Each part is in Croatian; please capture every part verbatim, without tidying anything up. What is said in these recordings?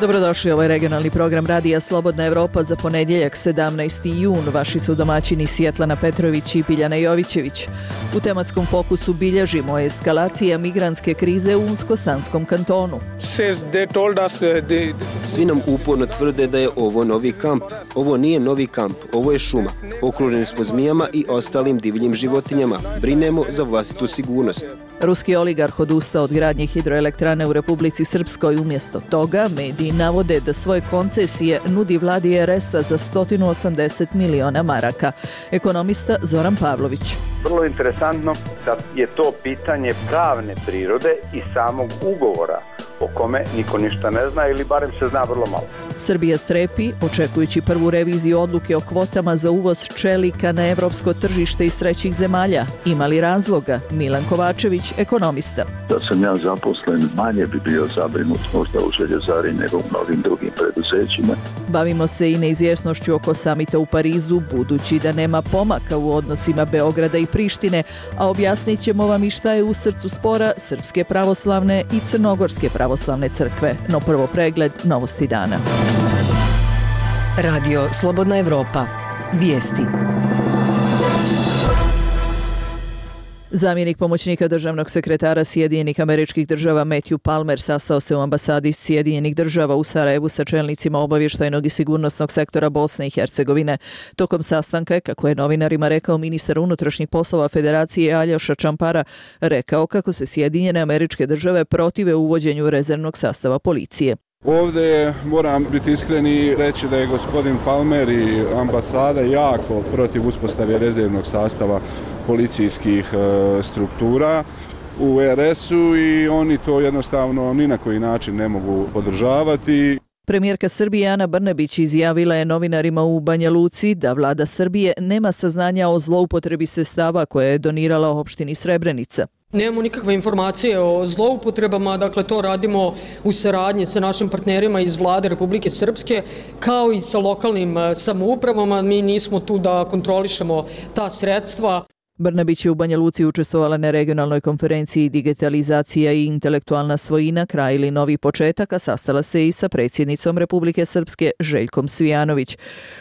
Dobrodošli, ovo je regionalni program Radija Slobodna Evropa za ponedjeljak sedamnaesti jun. Vaši su domaćini Svjetlana Petrović i Biljana Jovićević. U tematskom fokusu bilježimo eskalacija migrantske krize u Unsko-Sanskom kantonu. Svi nam uporno tvrde da je ovo novi kamp. Ovo nije novi kamp, ovo je šuma. Okruženi smo zmijama i ostalim divljim životinjama. Brinemo za vlastitu sigurnost. Ruski oligarh odustao od gradnje hidroelektrane u Republici Srpskoj. Umjesto toga, mediji navode da svoje koncesije nudi vladi er es a za sto osamdeset miliona maraka. Ekonomista Zoran Pavlović. Vrlo interesantno da je to pitanje pravne prirode i samog ugovora o kome niko ništa ne zna ili barem se zna vrlo malo. Srbija strepi, očekujući prvu reviziju odluke o kvotama za uvoz čelika na evropsko tržište iz trećih zemalja. Ima li razloga? Milan Kovačević, ekonomista. Da sam ja zaposlen, manje bi bio zabrinut možda u željezari nego u mnogim drugim preduzećima. Bavimo se i neizvjesnošću oko samita u Parizu, budući da nema pomaka u odnosima Beograda i Prištine, a objasnit ćemo vam i šta je u srcu spora Srpske pravoslavne i Crnogorske pravoslavne crkve. No prvo pregled novosti dana. Radio Slobodna Evropa. Vijesti. Zamjenik pomoćnika državnog sekretara Sjedinjenih Američkih Država Matthew Palmer sastao se u ambasadi Sjedinjenih Država u Sarajevu sa čelnicima obavještajnog i sigurnosnog sektora Bosne i Hercegovine. Tokom sastanka je, kako je novinarima rekao ministar unutrašnjih poslova Federacije Aljoša Čampara, rekao kako se Sjedinjene Američke Države protive uvođenju rezervnog sastava policije. Ovdje moram biti iskren i reći da je gospodin Palmer i ambasada jako protiv uspostave rezervnog sastava policijskih e, struktura u er es u i oni to jednostavno ni na koji način ne mogu podržavati. Premijerka Srbije Ana Brnabić izjavila je novinarima u Banja Luci da vlada Srbije nema saznanja o zloupotrebi sredstava koje je donirala opštini Srebrenica. Nemamo nikakve informacije o zloupotrebama, dakle to radimo u saradnji sa našim partnerima iz vlade Republike Srpske kao i sa lokalnim samoupravama. Mi nismo tu da kontrolišemo ta sredstva. Brnabić je u Banja Luci učestvovala na regionalnoj konferenciji Digitalizacija i intelektualna svojina, kraj ili novi početak, a sastala se i sa predsjednicom Republike Srpske Željkom Cvijanović.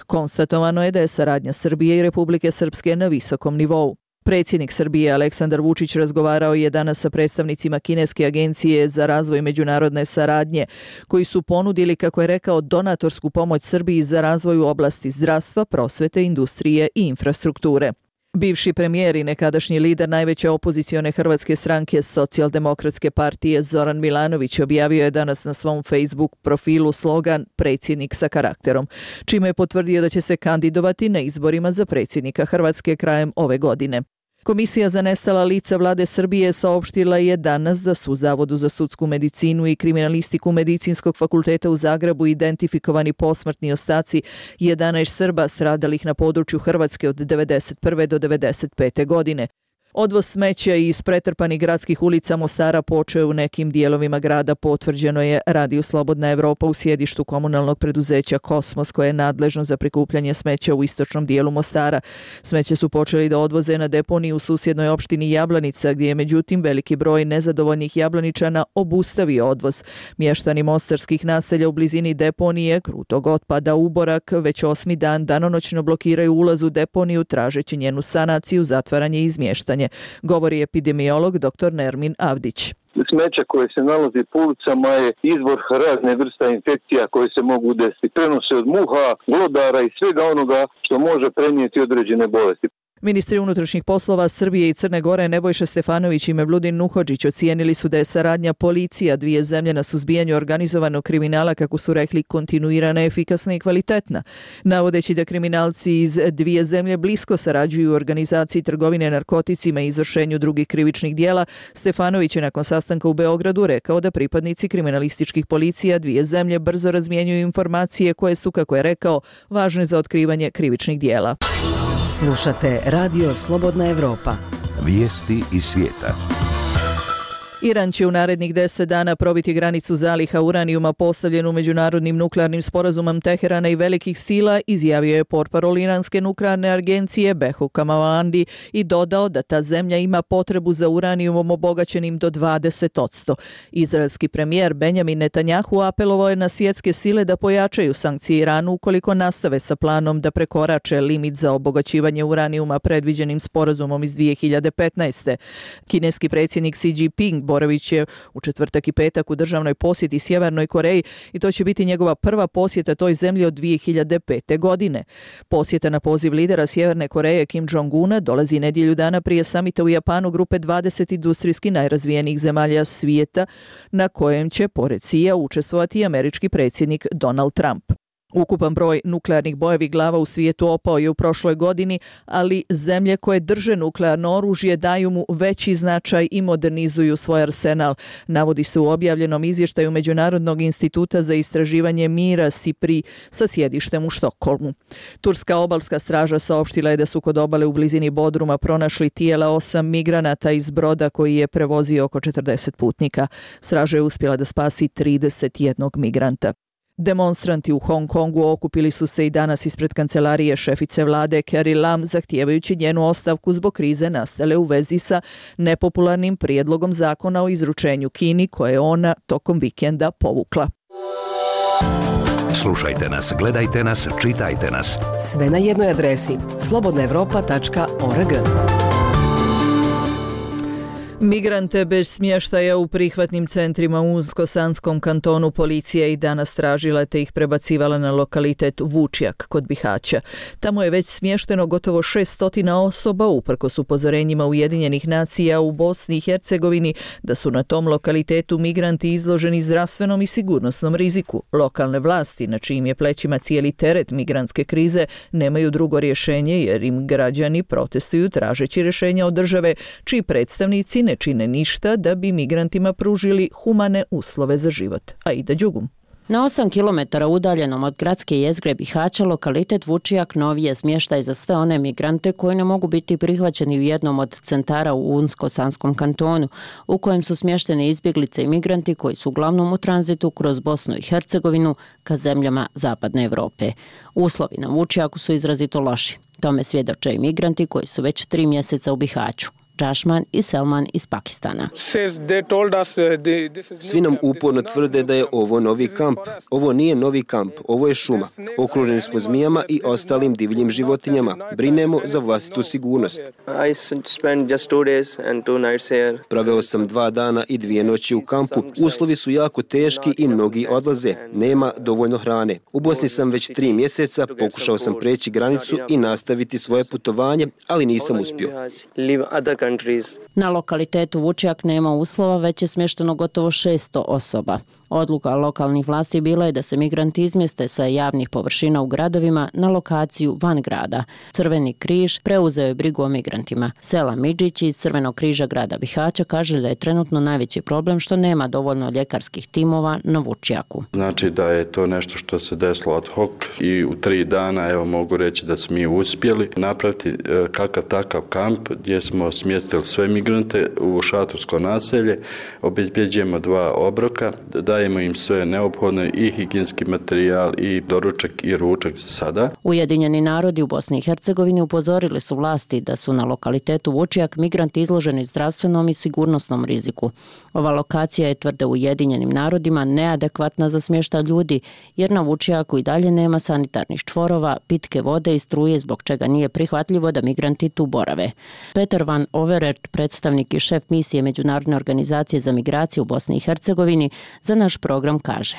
Konstatovano je da je saradnja Srbije i Republike Srpske na visokom nivou. Predsjednik Srbije Aleksandar Vučić razgovarao je danas sa predstavnicima Kineske agencije za razvoj međunarodne saradnje, koji su ponudili, kako je rekao, donatorsku pomoć Srbiji za razvoj u oblasti zdravstva, prosvete, industrije i infrastrukture. Bivši premijer i nekadašnji lider najveće opozicione hrvatske stranke Socijaldemokratske partije Zoran Milanović objavio je danas na svom Facebook profilu slogan "Predsjednik sa karakterom", čime je potvrdio da će se kandidovati na izborima za predsjednika Hrvatske krajem ove godine. Komisija za nestala lica vlade Srbije saopštila je danas da su u Zavodu za sudsku medicinu i kriminalistiku Medicinskog fakulteta u Zagrebu identifikovani posmrtni ostaci jedanaest Srba stradalih na području Hrvatske od devedeset prve do devedeset pete godine. Odvoz smeća iz pretrpanih gradskih ulica Mostara počeo u nekim dijelovima grada, potvrđeno je Radiju Slobodna Evropa u sjedištu komunalnog preduzeća Kosmos, koje je nadležno za prikupljanje smeća u istočnom dijelu Mostara. Smeće su počeli da odvoze na deponiju u susjednoj opštini Jablanica, gdje je međutim veliki broj nezadovoljnih Jablaničana obustavio odvoz. Mještani mostarskih naselja u blizini deponije krutog otpada Uborak već osmi dan danonoćno blokiraju ulaz u deponiju tražeći njenu sanaciju, zatvaranje i izmještanje, govori epidemiolog doktor Nermin Avdić. Smeća koje se nalazi po ulicama je izvor razne vrsta infekcija koje se mogu desiti. Prenose od muha, glodara i svega onoga što može prenijeti određene bolesti. Ministri unutrašnjih poslova Srbije i Crne Gore Nebojša Stefanović i Mevludin Nuhodžić ocijenili su da je saradnja policija dvije zemlje na suzbijanju organizovanog kriminala, kako su rekli, kontinuirana, efikasna i kvalitetna. Navodeći da kriminalci iz dvije zemlje blisko sarađuju u organizaciji trgovine narkoticima i izvršenju drugih krivičnih dijela, Stefanović je nakon sastanka u Beogradu rekao da pripadnici kriminalističkih policija dvije zemlje brzo razmjenjuju informacije koje su, kako je rekao, važne za otkrivanje krivičnih dijela. Slušate Radio Slobodna Evropa. Vijesti iz svijeta. Iran će u narednih deset dana probiti granicu zaliha uranijuma postavljenu međunarodnim nuklearnim sporazumom Teherana i velikih sila, izjavio je portparol iranske nuklearne agencije Behru Kamalvandi i dodao da ta zemlja ima potrebu za uranijumom obogaćenim do dvadeset posto. Izraelski premijer Benjamin Netanjahu apelovao je na svjetske sile da pojačaju sankcije Iranu ukoliko nastave sa planom da prekorače limit za obogaćivanje uranijuma predviđenim sporazumom iz dvije hiljade petnaeste. Kineski predsjednik Xi Jinping boravit će u četvrtak i petak u državnoj posjeti Sjevernoj Koreji i to će biti njegova prva posjeta toj zemlji od dvije hiljade pete. godine. Posjeta na poziv lidera Sjeverne Koreje Kim Jong-una dolazi nedjelju dana prije samita u Japanu grupe dvadeset industrijski najrazvijenijih zemalja svijeta na kojem će pored Xija učestvovati i američki predsjednik Donald Trump. Ukupan broj nuklearnih bojevih glava u svijetu opao je u prošloj godini, ali zemlje koje drže nuklearno oružje daju mu veći značaj i modernizuju svoj arsenal, navodi se u objavljenom izvještaju Međunarodnog instituta za istraživanje mira SIPRI sa sjedištem u Štokholmu. Turska obalska straža saopštila je da su kod obale u blizini Bodruma pronašli tijela osam migranata iz broda koji je prevozio oko četrdeset putnika. Straža je uspjela da spasi trideset jednog migranta. Demonstranti u Hong Kongu okupili su se i danas ispred kancelarije šefice vlade Carrie Lam zahtijevajući njenu ostavku zbog krize nastale u vezi sa nepopularnim prijedlogom zakona o izručenju Kini koje je ona tokom vikenda povukla. Slušajte nas, gledajte nas, čitajte nas. Sve na jednoj adresi slobodna evropa tačka org. Migrante bez smještaja u prihvatnim centrima u Unsko-Sanskom kantonu policija i danas tražila te ih prebacivala na lokalitet Vučjak kod Bihaća. Tamo je već smješteno gotovo šessto osoba uprkos upozorenjima Ujedinjenih nacija u Bosni i Hercegovini da su na tom lokalitetu migranti izloženi zdravstvenom i sigurnosnom riziku. Lokalne vlasti, na čijim je plećima cijeli teret migrantske krize, nemaju drugo rješenje jer im građani protestuju tražeći rješenja od države, čiji predstavnici ne čine ništa da bi migrantima pružili humane uslove za život. Aida Đugum. Na osam kilometara udaljenom od gradske jezgre Bihaća lokalitet Vučjak novi je smještaj za sve one migrante koji ne mogu biti prihvaćeni u jednom od centara u Unsko-Sanskom kantonu, u kojem su smještene izbjeglice i migranti koji su uglavnom u tranzitu kroz Bosnu i Hercegovinu ka zemljama Zapadne Evrope. Uslovi na Vučjaku su izrazito loši. Tome svjedoče i migranti koji su već tri mjeseca u Bihaću. Džašman i Selman iz Pakistana. Svi nam uporno tvrde da je ovo novi kamp. Ovo nije novi kamp, ovo je šuma. Okruženi smo zmijama i ostalim divljim životinjama. Brinemo za vlastitu sigurnost. Proveo sam dva dana i dvije noći u kampu. Uslovi su jako teški i mnogi odlaze. Nema dovoljno hrane. U Bosni sam već tri mjeseca, pokušao sam preći granicu i nastaviti svoje putovanje, ali nisam uspio. Na lokalitetu Vučjak nema uslova, već je smješteno gotovo šesto osoba. Odluka lokalnih vlasti bila je da se migranti izmjeste sa javnih površina u gradovima na lokaciju van grada. Crveni križ preuzeo je brigu o migrantima. Sela Midžić iz Crvenog križa grada Bihaća kaže da je trenutno najveći problem što nema dovoljno ljekarskih timova na Vučjaku. Znači da je to nešto što se desilo ad hoc i u tri dana evo mogu reći da smo mi uspjeli napraviti kakav takav kamp gdje smo smjestili sve migrante u šatorsko naselje, obezbjeđujemo dva obroka, dajemo im sve neophodno i higijenski materijal i doručak i ručak za sada. Ujedinjeni narodi u Bosni i Hercegovini upozorili su vlasti da su na lokalitetu Vučjak migranti izloženi zdravstvenom i sigurnosnom riziku. Ova lokacija je, tvrde Ujedinjenim narodima, neadekvatna za smještaj ljudi jer na Vučjaku i dalje nema sanitarnih čvorova, pitke vode i struje zbog čega nije prihvatljivo da migranti tu borave. Peter van Overert, predstavnik i šef misije Međunarodne organizacije za migraciju u Bosni i Hercegovini, za naš program kaže.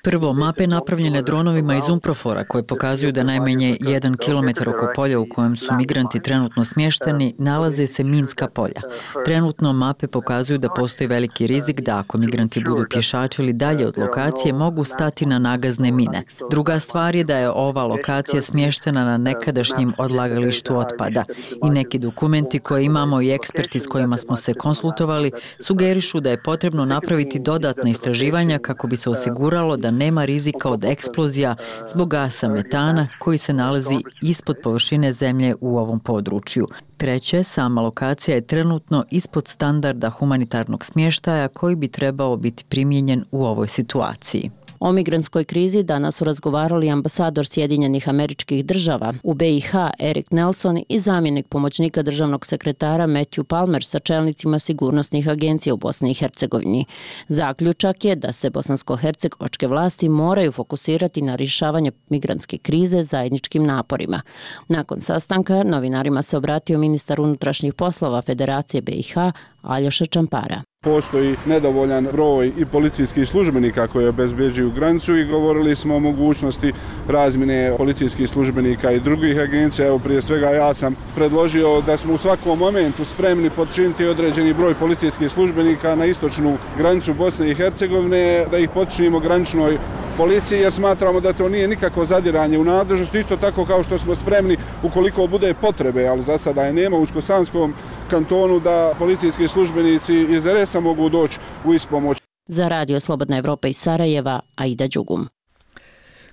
Prvo, mape napravljene dronovima iz Umprofora koje pokazuju da najmanje jedan kilometar oko polja u kojem su migranti trenutno smješteni nalaze se minska polja. Trenutno mape pokazuju da postoji veliki rizik da ako migranti budu pješačili dalje od lokacije mogu stati na nagazne mine. Druga stvar je da je ova lokacija smještena na nekadašnjem odlagalištu otpada i neki dokumenti koje imamo i eksperti s kojima smo se konsultovali sugerišu da je potrebno napraviti dodatna istraživanja kako bi se osiguralo da nema rizika od eksplozija zbog gasa metana koji se nalazi ispod površine zemlje u ovom području. Treće, sama lokacija je trenutno ispod standarda humanitarnog smještaja koji bi trebao biti primijenjen u ovoj situaciji. O migrantskoj krizi danas su razgovarali ambasador Sjedinjenih Američkih Država u B i H Erik Nelson i zamjenik pomoćnika državnog sekretara Matthew Palmer sa čelnicima sigurnosnih agencija u Bosni i Hercegovini. Zaključak je da se bosansko-hercegovačke vlasti moraju fokusirati na rješavanje migrantske krize zajedničkim naporima. Nakon sastanka novinarima se obratio ministar unutrašnjih poslova Federacije B i H Aljoša Čampara. Postoji nedovoljan broj i policijskih službenika koji obezbeđuju granicu i govorili smo o mogućnosti razmjene policijskih službenika i drugih agencija. Evo, prije svega ja sam predložio da smo u svakom momentu spremni podčiniti određeni broj policijskih službenika na istočnu granicu Bosne i Hercegovine, da ih podčinimo graničnoj policiji, jer smatramo da to nije nikako zadiranje u nadležnost, isto tako kao što smo spremni ukoliko bude potrebe, ali za sada je nema, u Skosanskom kantonu da policijski službenici iz R S A mogu doći u ispomoć. Za Radio Slobodna Evropa iz Sarajeva, Aida Đugum.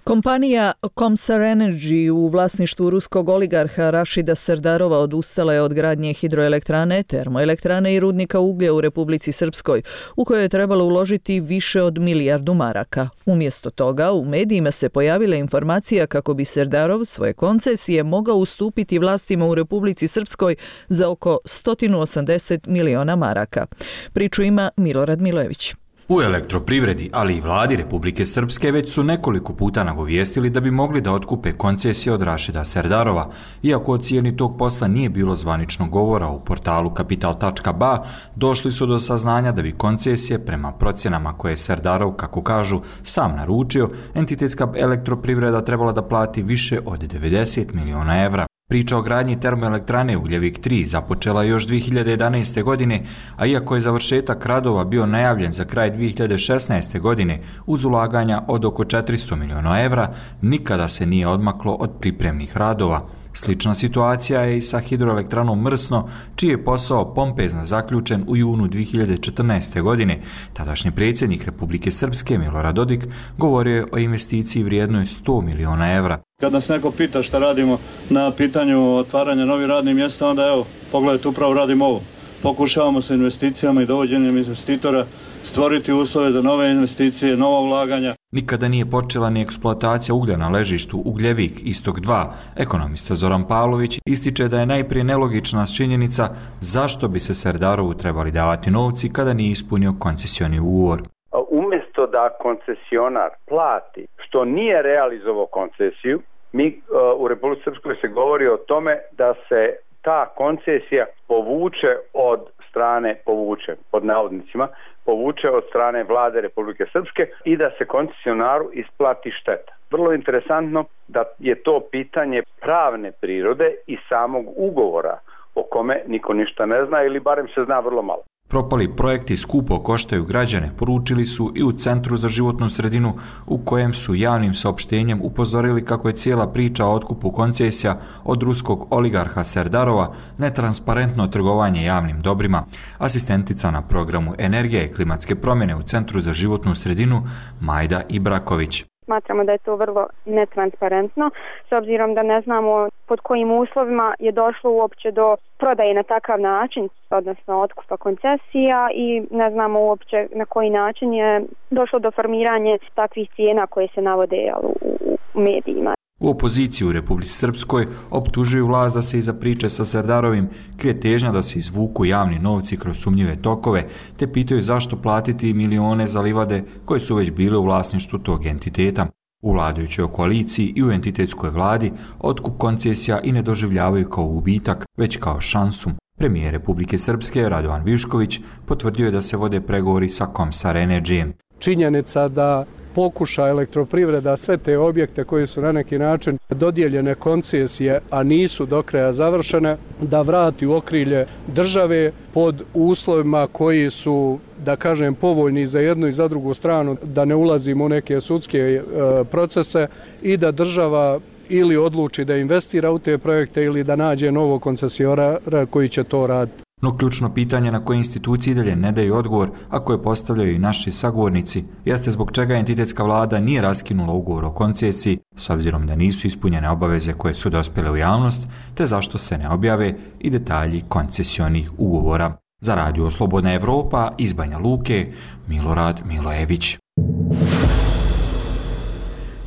Kompanija Komsar Energy u vlasništvu ruskog oligarha Rašida Serdarova odustala je od gradnje hidroelektrane, termoelektrane i rudnika uglja u Republici Srpskoj, u kojoj je trebalo uložiti više od milijardu maraka. Umjesto toga, u medijima se pojavila informacija kako bi Serdarov svoje koncesije mogao ustupiti vlastima u Republici Srpskoj za oko sto osamdeset miliona maraka. Priču ima Milorad Milojević. U elektroprivredi, ali i vladi Republike Srpske već su nekoliko puta nagovijestili da bi mogli da otkupe koncesije od Rašida Serdarova, iako o cijeni tog posla nije bilo zvaničnog govora u portalu kapital tačka b a, došli su do saznanja da bi koncesije prema procjenama koje je Serdarov, kako kažu, sam naručio, entitetska elektroprivreda trebala da plati više od devedeset miliona evra. Priča o gradnji termoelektrane Ugljevik tri započela još dvije hiljade jedanaeste. godine, a iako je završetak radova bio najavljen za kraj dvije hiljade šesnaeste. godine uz ulaganja od oko četiristo miliona evra, nikada se nije odmaklo od pripremnih radova. Slična situacija je i sa hidroelektranom Mrsno, čiji je posao pompezno zaključen u junu dvije hiljade četrnaeste. godine. Tadašnji predsjednik Republike Srpske Milorad Dodik govorio je o investiciji vrijednoj sto miliona evra. Kad nas neko pita šta radimo na pitanju otvaranja novih radnih mjesta, onda evo, pogledajte, upravo radimo ovo. Pokušavamo sa investicijama i dovođenjem investitora stvoriti uslove za nove investicije, nova ulaganja. Nikada nije počela ni eksploatacija uglja na ležištu Ugljevik Istok dva. Ekonomista Zoran Pavlović ističe da je najprije nelogična činjenica zašto bi se Serdarovu trebali davati novci kada nije ispunio koncesioni ugovor. Umjesto da koncesionar plati što nije realizovao koncesiju, mi uh, u Republici Srpskoj se govori o tome da se ta koncesija povuče od strane, povuče pod navodnicima, povuče od strane vlade Republike Srpske i da se koncesionaru isplati šteta. Vrlo interesantno da je to pitanje pravne prirode i samog ugovora o kome niko ništa ne zna ili barem se zna vrlo malo. Propali projekti skupo koštaju građane, poručili su i u Centru za životnu sredinu, u kojem su javnim saopštenjem upozorili kako je cijela priča o otkupu koncesija od ruskog oligarha Serdarova netransparentno trgovanje javnim dobrima. Asistentica na programu Energije i klimatske promjene u Centru za životnu sredinu Majda Ibraković. Smatramo da je to vrlo netransparentno, s obzirom da ne znamo pod kojim uslovima je došlo uopće do prodaje na takav način, odnosno otkupa koncesija, i ne znamo uopće na koji način je došlo do formiranja takvih cijena koje se navode u, u medijima. U opoziciji u Republici Srpskoj optužuju vlast da se iza priče sa Serdarovim krije težnja da se izvuku javni novci kroz sumnjive tokove, te pitaju zašto platiti milione za livade koje su već bile u vlasništvu tog entiteta. U vladajućoj koaliciji i u entitetskoj vladi otkup koncesija i ne doživljavaju kao gubitak, već kao šansu. Premijer Republike Srpske Radovan Višković potvrdio je da se vode pregovori sa Komsar Energyjem. Činjenica da pokuša elektroprivreda sve te objekte koji su na neki način dodijeljene koncesije, a nisu do kraja završene, da vrati u okrilje države pod uslovima koji su, da kažem, povoljni za jednu i za drugu stranu, da ne ulazimo u neke sudske e, procese i da država ili odluči da investira u te projekte ili da nađe novog koncesijonara koji će to raditi. No ključno pitanje na koje institucije dalje ne daju odgovor, a koje postavljaju i naši sagovornici, jeste zbog čega entitetska vlada nije raskinula ugovor o koncesiji, s obzirom da nisu ispunjene obaveze koje su dospjele u javnost, te zašto se ne objave i detalji koncesionih ugovora. Za Radio Slobodna Evropa iz Banja Luke, Milorad Milojević.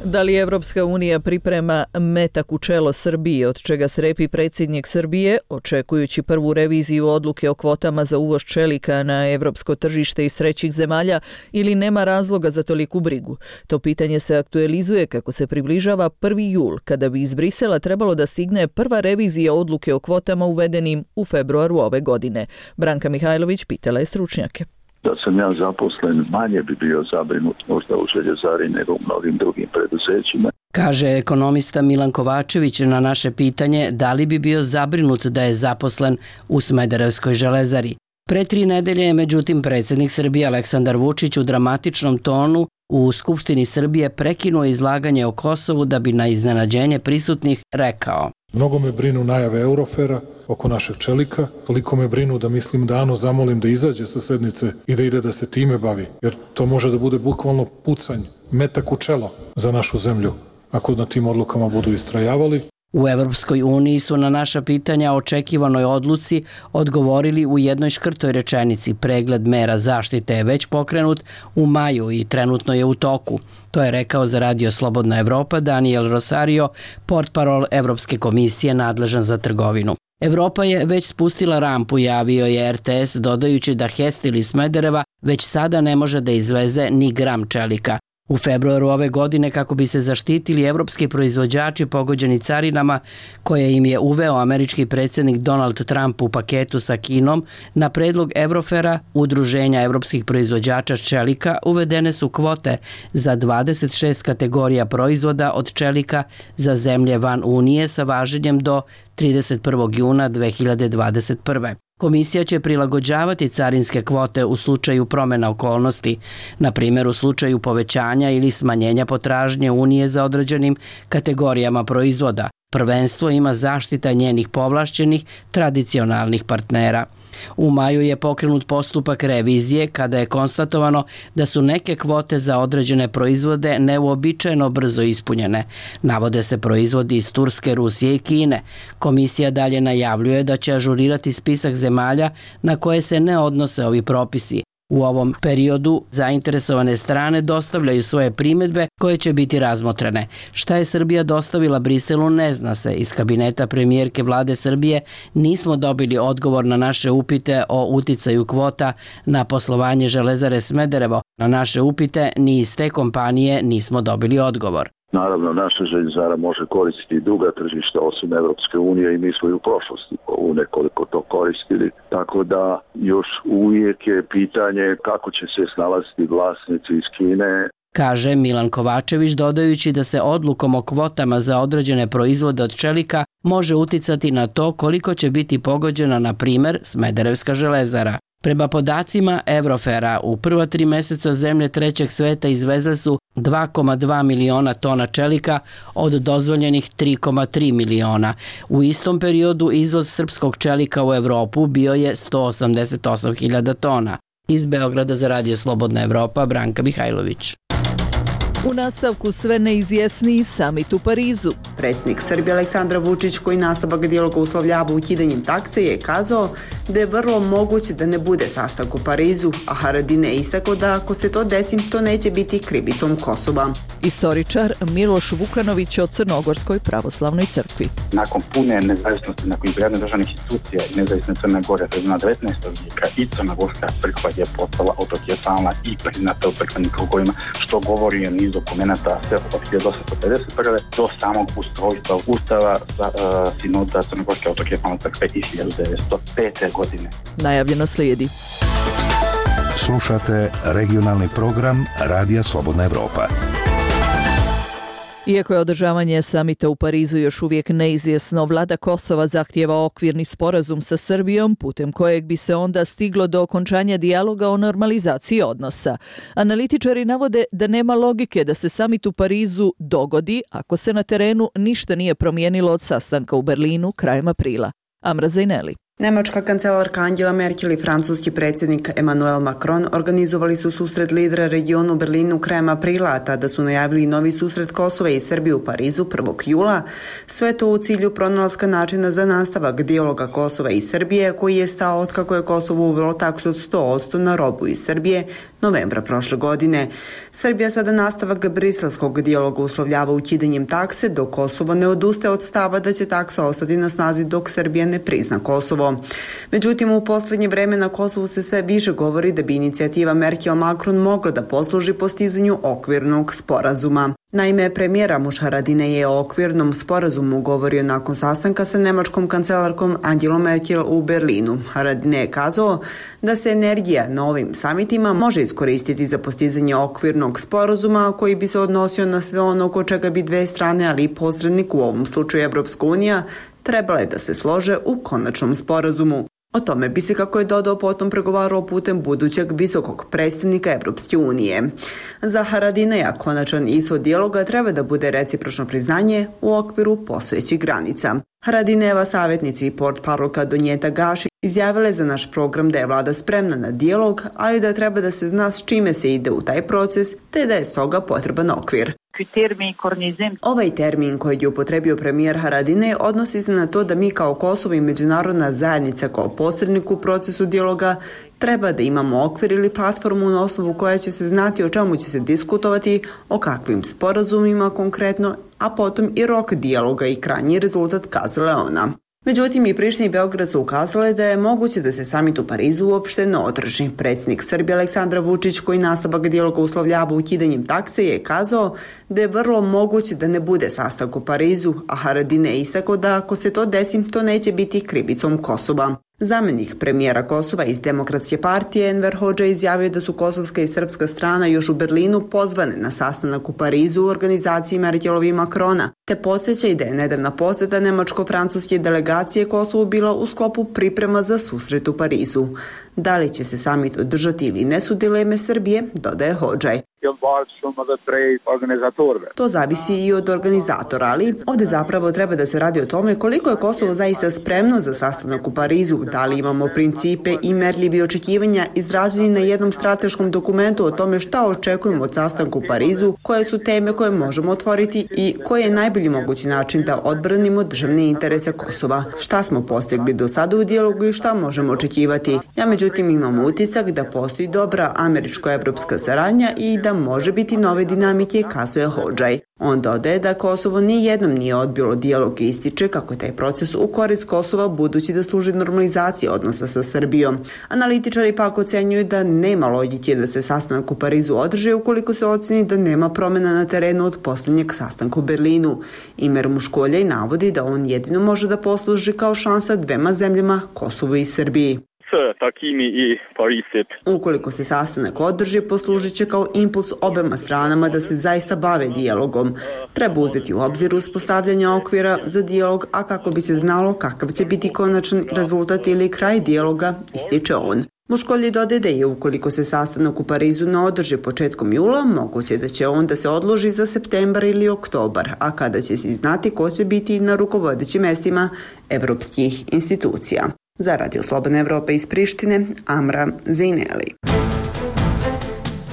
Da li Evropska unija priprema metak u čelo Srbije, od čega strepi predsjednik Srbije, očekujući prvu reviziju odluke o kvotama za uvoz čelika na evropsko tržište iz trećih zemalja, ili nema razloga za toliku brigu? To pitanje se aktualizuje kako se približava prvi jul, kada bi iz Brisela trebalo da stigne prva revizija odluke o kvotama uvedenim u februaru ove godine. Branka Mihajlović pitala je stručnjake. Da sam ja zaposlen, manje bi bio zabrinut možda u željezari nego u mnogim drugim preduzećima. Kaže ekonomista Milan Kovačević na naše pitanje da li bi bio zabrinut da je zaposlen u Smederevskoj železari. Pre tri nedelje je međutim predsjednik Srbije Aleksandar Vučić u dramatičnom tonu u Skupštini Srbije prekinuo izlaganje o Kosovu da bi na iznenađenje prisutnih rekao: Mnogo me brinu najave Eurofera oko našeg čelika, toliko me brinu da mislim da Ano zamolim da izađe sa sednice i da ide da se time bavi, jer to može da bude bukvalno pucanj, metak u čelo za našu zemlju, ako na tim odlukama budu istrajavali. U Evropskoj uniji su na naša pitanja o očekivanoj odluci odgovorili u jednoj škrtoj rečenici: pregled mera zaštite je već pokrenut u maju i trenutno je u toku. To je rekao za Radio Slobodna Evropa Daniel Rosario, portparol Evropske komisije nadležan za trgovinu. Evropa je već spustila rampu, javio je R T S, dodajući da Hestil iz Smedereva već sada ne može da izveze ni gram čelika. U februaru ove godine, kako bi se zaštitili evropski proizvođači pogođeni carinama koje im je uveo američki predsjednik Donald Trump u paketu sa Kinom, na predlog Eurofera, Udruženja evropskih proizvođača čelika, uvedene su kvote za dvadeset šest kategorija proizvoda od čelika za zemlje van Unije sa važenjem do trideset prvog juna dve hiljade dvadeset prve. Komisija će prilagođavati carinske kvote u slučaju promjena okolnosti, na primjer u slučaju povećanja ili smanjenja potražnje Unije za određenim kategorijama proizvoda. Prvenstvo ima zaštita njenih povlašćenih tradicionalnih partnera. U maju je pokrenut postupak revizije kada je konstatovano da su neke kvote za određene proizvode neuobičajeno brzo ispunjene. Navode se proizvodi iz Turske, Rusije i Kine. Komisija dalje najavljuje da će ažurirati spisak zemalja na koje se ne odnose ovi propisi. U ovom periodu zainteresovane strane dostavljaju svoje primjedbe koje će biti razmotrene. Šta je Srbija dostavila Briselu ne zna se. Iz kabineta premijerke vlade Srbije nismo dobili odgovor na naše upite o uticaju kvota na poslovanje železare Smederevo. Na naše upite ni iz te kompanije nismo dobili odgovor. Naravno, naša željezara može koristiti druga tržišta osim Evropske unije i mi smo i u prošlosti u nekoliko to koristili. Tako da još uvijek je pitanje kako će se snalaziti vlasnici iz Kine. Kaže Milan Kovačević, dodajući da se odlukom o kvotama za određene proizvode od čelika može uticati na to koliko će biti pogođena, na primjer, Smederevska železara. Prema podacima Eurofera, u prva tri mjeseca zemlje trećeg sveta izvezle su dva zarez dva miliona tona čelika od dozvoljenih tri zarez tri miliona. U istom periodu izvoz srpskog čelika u Evropu bio je sto osamdeset osam hiljada tona. Iz Beograda za Radio Slobodna Evropa, Branka Mihajlović. U nastavku sve neizjesniji samit u Parizu. Predsjednik Srbije Aleksandar Vučić, koji nastavak dijaloga uslovljava ukidanjem takse, je kazao da je vrlo moguće da ne bude sastanak u Parizu, a Haradin je istakao da ako se to desi, to neće biti krivicom Kosova. Istoričar Miloš Vukanović o Crnogorskoj pravoslavnoj crkvi. Nakon pune nezavisnosti, nakon izgradnje državnih institucija i nezavisne Crne Gore, na devetnaestog vijeka i Crnogorska crkva je postala autokefalna i priznata u crkvenim krugovima, što govori o niz dokumenta sve od hiljadu osamsto pedeset prve do samog ustrojstva Ustava za uh, sinoda Crnogorske autokefalne crkve iz hiljadu devetsto pete. godine. Najavljeno slijedi. Slušate regionalni program Radija Slobodna Evropa. Iako je održavanje samita u Parizu još uvijek neizvjesno, vlada Kosova zahtijeva okvirni sporazum sa Srbijom, putem kojeg bi se onda stiglo do okončanja dijaloga o normalizaciji odnosa. Analitičari navode da nema logike da se samit u Parizu dogodi ako se na terenu ništa nije promijenilo od sastanka u Berlinu krajem aprila. Amra Zajneli. Nemačka kancelarka Angela Merkel i francuski predsjednik Emmanuel Macron organizovali su susret lidera regionu u Berlinu krajem aprila, a tada su najavili novi susret Kosova i Srbije u Parizu prvog jula. Sve to u cilju pronalaska načina za nastavak dijaloga Kosova i Srbije, koji je stao otkako je Kosovo uvelo taksu od sto posto na robu iz Srbije novembra prošle godine. Srbija sada nastavak briselskog dijaloga uslovljava ukidanjem takse, dok Kosovo ne odustaje od stava da će taksa ostati na snazi dok Srbija ne prizna Kosovo. Međutim, u posljednje vreme na Kosovu se sve više govori da bi inicijativa Merkel-Macron mogla da posluži postizanju okvirnog sporazuma. Naime, premijera Muš Haradine je o okvirnom sporazumu govorio nakon sastanka sa nemačkom kancelarkom Angelom Merkel u Berlinu. Haradine je kazao da se energija na ovim samitima može iskoristiti za postizanje okvirnog sporazuma koji bi se odnosio na sve ono oko čega bi dve strane, ali i posrednik, u ovom slučaju Evropska unija, trebale da se slože u konačnom sporazumu. O tome bi se, kako je dodao, potom pregovarao putem budućeg visokog predstavnika Evropske unije. Za Haradineja konačan ishod dijaloga treba da bude recipročno priznanje u okviru postojećih granica. Haradineva savjetnici i portparolka Donjeta Gaši izjavile za naš program da je vlada spremna na dijalog, ali da treba da se zna s čime se ide u taj proces, te da je stoga potreban okvir. Ovaj termin koji je upotrebio premijer Haradine odnosi se na to da mi kao Kosovo i međunarodna zajednica kao posrednik u procesu dijaloga treba da imamo okvir ili platformu na osnovu koja će se znati o čemu će se diskutovati, o kakvim sporazumima konkretno, a potom i rok dijaloga i krajnji rezultat, kazala je ona. Međutim, i Priština i Beograd su ukazale da je moguće da se samit u Parizu uopšte ne održi. Predsjednik Srbije Aleksandar Vučić, koji nastavak dijaloga uslovljava ukidanjem takse, je kazao da je vrlo moguće da ne bude sastanak u Parizu, a Haradine je istakao da ako se to desi, to neće biti krivicom Kosova. Zamenik premijera Kosova iz Demokratske partije Enver Hodža izjavio da su kosovska i srpska strana još u Berlinu pozvane na sastanak u Parizu u organizaciji Merkelovi i Macrona, te podsjeća i da je nedavna posjeta nemačko-francuske delegacije Kosovu bila u sklopu priprema za susret u Parizu. Da li će se samit održati ili ne su dileme Srbije, dodaje Hodžaj. To zavisi i od organizatora, ali ovdje zapravo treba da se radi o tome koliko je Kosovo zaista spremno za sastanak u Parizu, da li imamo principe i merljivi očekivanja izraženi na jednom strateškom dokumentu o tome šta očekujemo od sastanka u Parizu, koje su teme koje možemo otvoriti i koji je najbolji mogući način da odbranimo državne interese Kosova. Šta smo postigli do sada u dijalogu i šta možemo očekivati. Ja međutim imam utisak da postoji dobra američko-evropska saradnja i da može biti nove dinamike, kazuje Hodžaj. On dodaje da Kosovo nijednom nije odbilo dijalog i ističe kako je taj proces u korist Kosova budući da služi normalizaciji odnosa sa Srbijom. Analitičari pak ocenjuju da nema logike da se sastanak u Parizu održi ukoliko se oceni da nema promjena na terenu od posljednjeg sastanka u Berlinu. Imer Muškoljaj navodi da on jedino može da posluži kao šansa dvema zemljama, Kosovu i Srbiji. Ukoliko se sastanak održi, poslužit će kao impuls obema stranama da se zaista bave dijalogom. Treba uzeti u obzir uspostavljanje okvira za dijalog, a kako bi se znalo kakav će biti konačan rezultat ili kraj dijaloga, ističe on. Muškolji dodaje da je ukoliko se sastanak u Parizu ne održi početkom jula, moguće da će on da se odloži za septembar ili oktobar, a kada će se znati ko će biti na rukovodećim mestima evropskih institucija. Za Radio Slobodne Evrope iz Prištine, Amra Zejneli.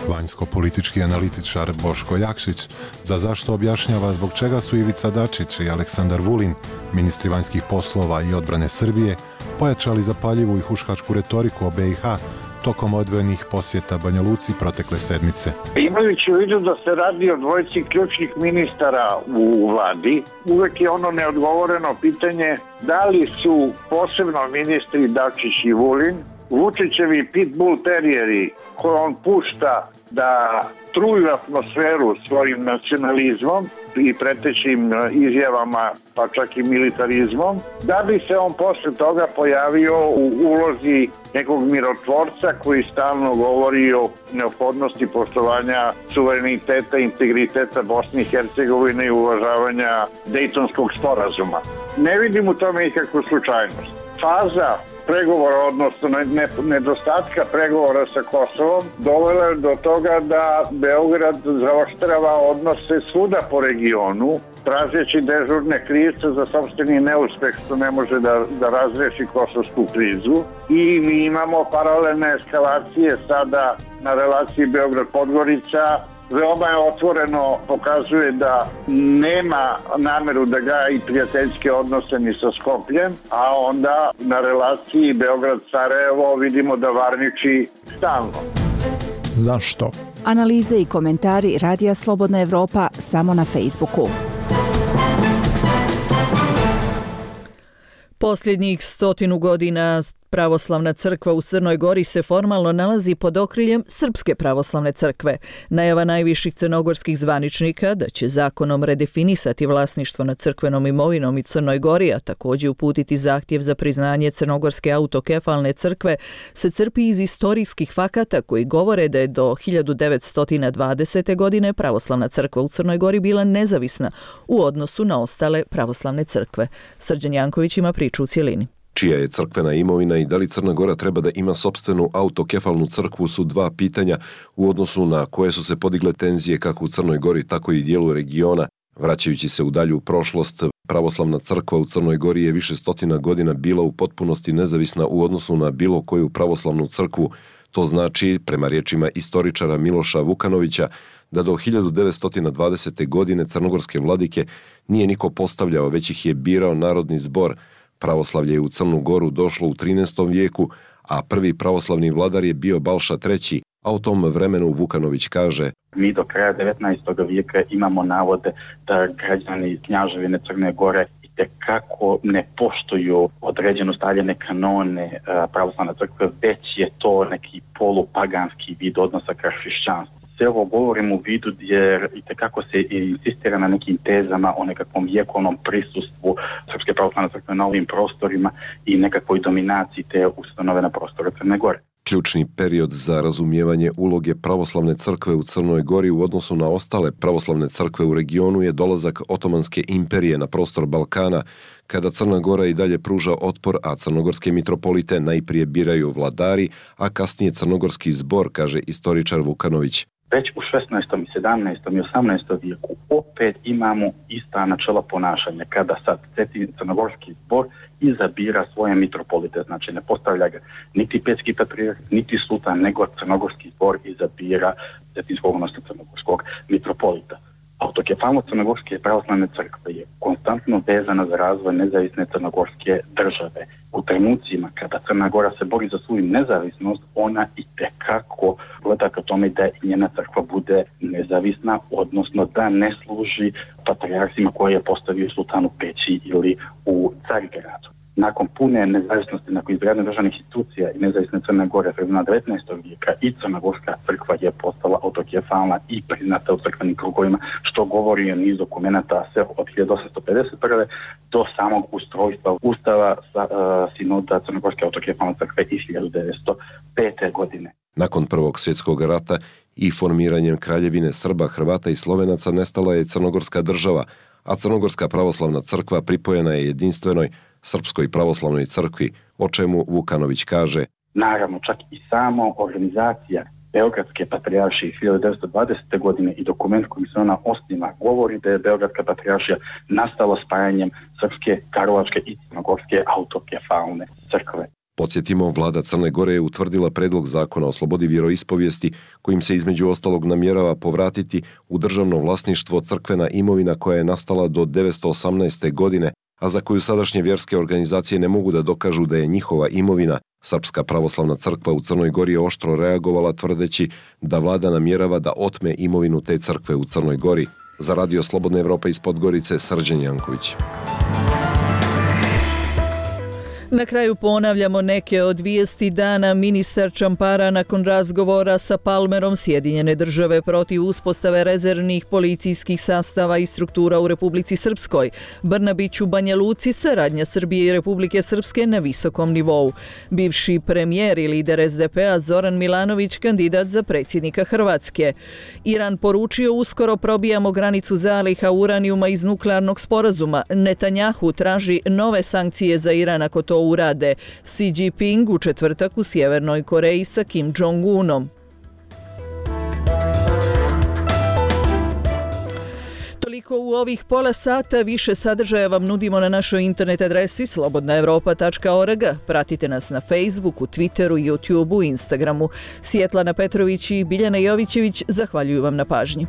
Vanjsko-politički analitičar Boško Jakšić za zašto objašnjava zbog čega su Ivica Dačić i Aleksandar Vulin, ministri vanjskih poslova i odbrane Srbije, pojačali zapaljivu i huškačku retoriku o B i H tokom odvojenih posjeta Banja Luci protekle sedmice. Imajući u vidu da se radi o dvojici ključnih ministara u vladi, uvek je ono neodgovoreno pitanje da li su posebno ministri Dačić i Vulin Vučićevi pitbull terijeri koje on pušta da truju atmosferu svojim nacionalizmom i pretećim izjavama, pa čak i militarizmom, da bi se on posle toga pojavio u ulozi nekog mirotvorca koji stalno govori o neophodnosti poštovanja suvereniteta i integriteta Bosne i Hercegovine i uvažavanja Dejtonskog sporazuma. Ne vidim u tome nikakvu slučajnost. Faza pregovora, odnosno nedostatka pregovora sa Kosovom, dovela je do toga da Beograd zaoštrava odnose svuda po regionu tražeći dežurne krivce za sopstveni neuspeh što ne može da, da razreši kosovsku krizu. I mi imamo paralelne eskalacije sada na relaciji Beograd-Podgorica. Veoma je otvoreno pokazuje da nema nameru da gaji prijateljske odnose ni sa Skopljem, a onda na relaciji Beograd-Sarajevo vidimo da varniči stalno. Zašto? Analize i komentari Radija Slobodna Evropa samo na Facebooku. Posljednjih stotinu godina Pravoslavna crkva u Crnoj Gori se formalno nalazi pod okriljem Srpske pravoslavne crkve. Najava najviših crnogorskih zvaničnika da će zakonom redefinisati vlasništvo nad crkvenom imovinom i Crnoj Gori, a također uputiti zahtjev za priznanje Crnogorske autokefalne crkve, se crpi iz istorijskih fakata koji govore da je do hiljadu devetsto dvadesete. godine Pravoslavna crkva u Crnoj Gori bila nezavisna u odnosu na ostale pravoslavne crkve. Srđan Janković ima priču u cjelini. Čija je crkvena imovina i da li Crna Gora treba da ima sopstvenu autokefalnu crkvu su dva pitanja u odnosu na koje su se podigle tenzije kako u Crnoj Gori, tako i dijelu regiona. Vraćajući se u dalju prošlost, pravoslavna crkva u Crnoj Gori je više stotina godina bila u potpunosti nezavisna u odnosu na bilo koju pravoslavnu crkvu. To znači, prema riječima istoričara Miloša Vukanovića, da do hiljadu devetsto dvadesete. godine crnogorske vladike nije niko postavljao, već ih je birao narodni zbor. Pravoslavlje je u Crnu Goru došlo u trinaestom vijeku, a prvi pravoslavni vladar je bio Balša treći, a u tom vremenu Vukanović kaže: Mi do kraja devetnaestog vijeka imamo navode da građani Knjaževine Crne Gore itekako ne poštuju određeno stavljene kanone pravoslavne crkve, već je to neki polupaganski vid odnosa ka hrišćanstvu. Sve ovo govorim u vidu jer itekako se insistira na nekim tezama o nekakvom vjekovnom prisustvu Srpske pravoslavne crkve na ovim prostorima i nekakvoj dominaciji te ustanove na prostoru Crne Gore. Ključni period za razumijevanje uloge pravoslavne crkve u Crnoj Gori u odnosu na ostale pravoslavne crkve u regionu je dolazak Otomanske imperije na prostor Balkana, kada Crna Gora i dalje pruža otpor, a crnogorske mitropolite najprije biraju vladari, a kasnije crnogorski zbor, kaže istoričar Vukanović. Već u šesnaestom, sedamnaestom i osamnaestom vijeku opet imamo ista načela ponašanja, kada sad crnogorski zbor izabira svoje mitropolite, znači ne postavlja ga niti petski patrijarh, niti sultan, nego crnogorski zbor izabira cetinskog, odnosno crnogorskog mitropolita. Autokefalnost Crnogorske pravoslavne crkve je konstantno vezana za razvoj nezavisne crnogorske države. U trenucima kada Crna Gora se bori za svoju nezavisnost, ona i tekako gleda ka tome da i njena crkva bude nezavisna, odnosno da ne služi patrijarhima koje je postavio sultan u Peći ili u Carigradu. Nakon pune nezavisnosti, nakon izgradnje državnih institucija i nezavisne Crne Gore sredina devetnaestog vijeka i Crnogorska crkva je postala autokefalna i priznata u crkvenim krugovima, što govori o niz dokumenta sve od hiljadu osamsto pedeset prve. do samog ustrojstva Ustava sa, uh, sinoda Crnogorske autokefalne crkve iz hiljadu devetsto pete. godine. Nakon Prvog svjetskog rata i formiranjem Kraljevine Srba, Hrvata i Slovenaca nestala je Crnogorska država, a Crnogorska pravoslavna crkva pripojena je jedinstvenoj Srpskoj pravoslavnoj crkvi, o čemu Vukanović kaže: Naravno, čak i samo organizacija Beogradske patrijaršije iz hiljadu devetsto dvadesete. godine i dokument kojim se ona osniva govori da je Beogradska patrijaršija nastala spajanjem Srpske, Karlovačke i Crnogorske autokefalne crkve. Podsjetimo, vlada Crne Gore je utvrdila predlog zakona o slobodi vjeroispovijesti kojim se između ostalog namjerava povratiti u državno vlasništvo crkvena imovina koja je nastala do devetsto osamnaeste. godine, a za koju sadašnje vjerske organizacije ne mogu da dokažu da je njihova imovina. Srpska pravoslavna crkva u Crnoj Gori je oštro reagovala tvrdeći da vlada namjerava da otme imovinu te crkve u Crnoj Gori. Za Radio Slobodna Evropa iz Podgorice, Srđan Janković. Na kraju ponavljamo neke od vijesti dana. Ministar Čampara nakon razgovora sa Palmerom Sjedinjene države protiv uspostave rezervnih policijskih sastava i struktura u Republici Srpskoj. Brnabić u Banja Luci, saradnja Srbije i Republike Srpske na visokom nivou. Bivši premijer i lider es de pe a Zoran Milanović kandidat za predsjednika Hrvatske. Iran poručio: uskoro probijamo granicu zaliha uranijuma iz nuklearnog sporazuma. Netanjahu traži nove sankcije za Iran ako to urade. Xi Jinping u četvrtak u Sjevernoj Koreji sa Kim Jong-unom. Toliko u ovih pola sata, više sadržaja vam nudimo na našoj internet adresi slobodna evropa tačka org. Pratite nas na Facebooku, Twitteru, YouTubeu, Instagramu. Svjetlana Petrović i Biljana Jovićević zahvaljuju vam na pažnji.